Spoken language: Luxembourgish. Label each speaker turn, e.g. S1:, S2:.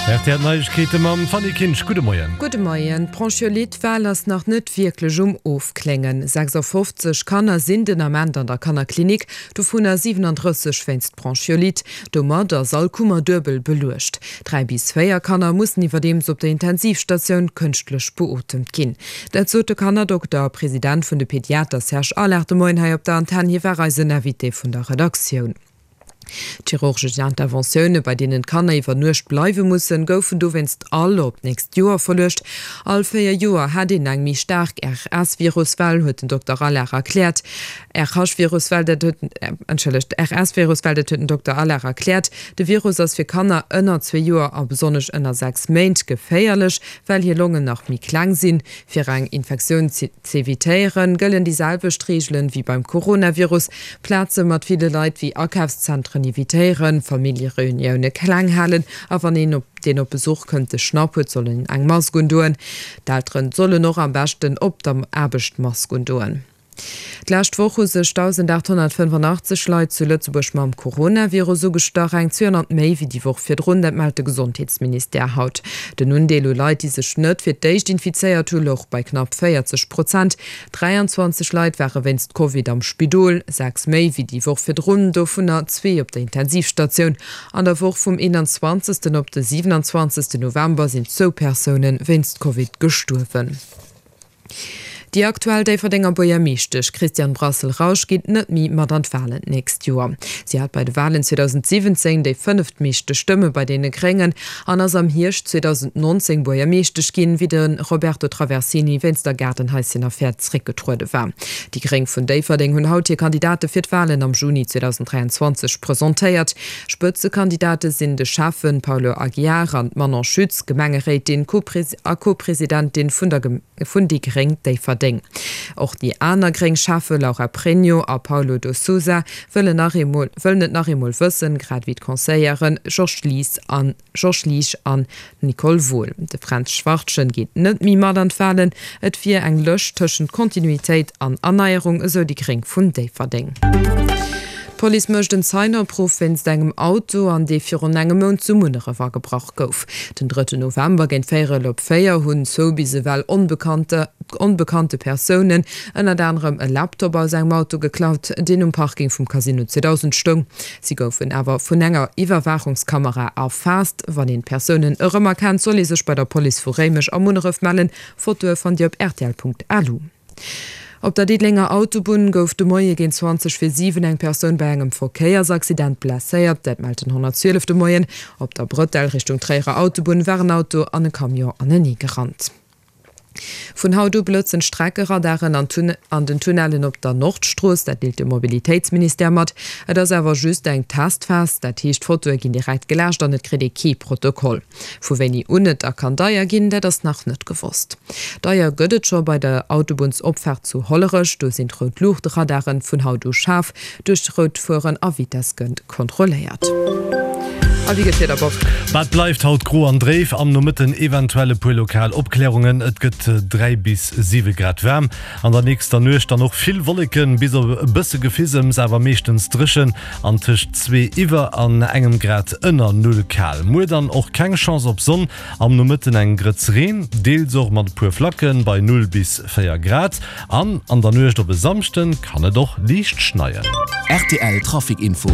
S1: Rtl Neiegkeete mam Fanny Kinsch. Gudde Moien.
S2: Gudde Moien. D'Bronchiolite-Well ass nach net wierklech um Ofkléngen. 56 Kanner sinn den Ament an der Kannerklinik, dovunner 37 wéinst Bronchiolite. Domat ass all Kummer duebel beluecht. 3 bis 4 Kanner mussen iwwerdeems op der Intensivstatioun kënschtlech beotemt ginn. Dat sot de Kannerdokter a President vun de Pediater Serge Allard de Moien hei op der Antenn. Hie war eisen Invité vun der Redaktioun. D'chirurgesch Interventioune, bei deenen d'Kanner iwwer Nuecht bleiwe mussen, goufen dowéinst all op d'nächst Joer verluecht. All 4 Joer hätt een eng méi staark RS-Viruswell, huet den Dokter Allard erkläert. RH-Viruswell, dat huet, entschëllegt, RS-Viruswell, dat huet den Dokter Allard erkläert. De Virus ass fir Kanner ënner zwee Joer a besonnesch ënner 6 Méint geféierlech, well hir Longen nach méi kleng sinn. Fir eng Infektioun z'evitéieren, gëllen déi selwecht Reegelen wéi beim Coronavirus, Plaze mat ville Leit wéi Akafszentren evitéieren, Familljereunioune kleng halen a wann een, deen op Besuch kënnt, de Schnapp huet, soll en eng Mask undoen. D'Elteren sollen och am beschten op der Aarbecht d'Mask undoen. D'lescht Woch hu sech 1.885 Leit zu Lëtzebuerg mam Coronavirus ugestach, eng 200 méi wéi déi Woch virdrun. Dat mellt de Gesondheetsministère haut. Den Undeel u Leit, déi sech net fir d'éischt infizéiert hu, louch bei knapp 40 Prozent. 23 Leit ware wéinst Covid am Spidol, 6 méi wéi déi Woch virdrun, dovunner zwee op der Intensivstatioun. An der Woch vum 21. Op de 27. November sinn zwou Persoune wéinst Covid gestuerwen. Déi aktuell Déifferdenger Buergermeeschtesch Christiane Brassel-Rausch geet net méi mat an d'Walen d'nächst Joer. Si hat bei de Walen 2017 déi fënneftmeeschte Stëmme bei deene Gréngen an ass am Hierscht 2019 Buergermeeschtesch ginn, wéi de Roberto Traversini wéinst der Gaardenhaischen-Affär zeréckgetruede war. Déi Gréng vun Déifferdeng hunn haut hir Kandidate fir d'Walen am Juni 2023 presentéiert. Spëtzekandidate sinn de Schäffen Paulo Aguiar an d'Manon Schütz, Gemengeréitin a Co-Presidentin vun der vun déi gréng Déifferdeng. Och déi aner gréng Schäffe Laura Pregno a Paulo do Sousa wëllen nach eemol wëllen et nach eemol wëssen, grad ewéi d'Conseillere Georges Lies an Georges Liesch an Nicole Wohl. De Fränz Schwartschen geet net méi mat an d'Walen. Et wier eng Lëscht tëschent Kontinuitéit an Erneierung, esou déi gréng vun Déifferdeng. D'Police mécht en Zeien-Opruff wéinst engem Auto, an dee virun engem Mount zu Munneref agebrach gouf. Den drëtten November géint véierel op 4 hunn zwou bis ewell onbekannte Persounen ënnert anerem e Laptop aus engem Auto geklaut, deen um Parking vum Casino 2000 stoung. Si goufen awer vun enger Iwwerwaachungskamera erfaasst. Wann een d'Persounen erëmerkennt, soll ee sech bei der Police vu Réimech a Munneref mellen. Fotoe fannt Dir op rtl.lu. Op der Diddelenger Autobunn gouf de Moie géint 20 vir 7 eng Persoun bei engem Verkéiersaccident blesséiert. Dat mellt den 112 de Moien. Op der Brëtell Richtung Tréierer Autobunn war en Auto an e Camion anenee gerannt. Vun haut u blëtzen d'Streckeradaren an den Tunnellen op der Nordstrooss. Dat deelt de Mobilitéitsministère mat. Et ass awer just eng Testphas, dat heescht d'Fotoe ginn direkt geläscht an et kritt ee kee Protokoll. Vu wéini un et da kann deier ginn, dat ass nach net gewosst. Deier gëtt et scho bei der Autobunnsopfaart zu Hollerech. Do sinn d'Rout-Luucht-Radaren vun haut u schaarf. Duerch rout fueren a Vitess gëtt kontrolléiert. A wéi gëtt d'Wieder, Bob?
S1: Ma et bleift haut gro an dréif, am Nomëtten eventuell e puer lokal Opklärungen. Et gëtt 3 bis 7 Grad waarm. An der nächster Nuecht dann och vill Wolleken, bis op e bësse Gefisems, awer meeschtens dréchen an tëscht 2 iwwer an engem Grad ënner Null kal. Muer dann och keng Chance op Sonn, am Nomëtten eng Grëtz Reen, deels och mat e puer Flacken, bei 0 bis 4 Grad. An an der Nuecht op e Samschden kann et och liicht schneien.
S3: Rtl Trafic Info.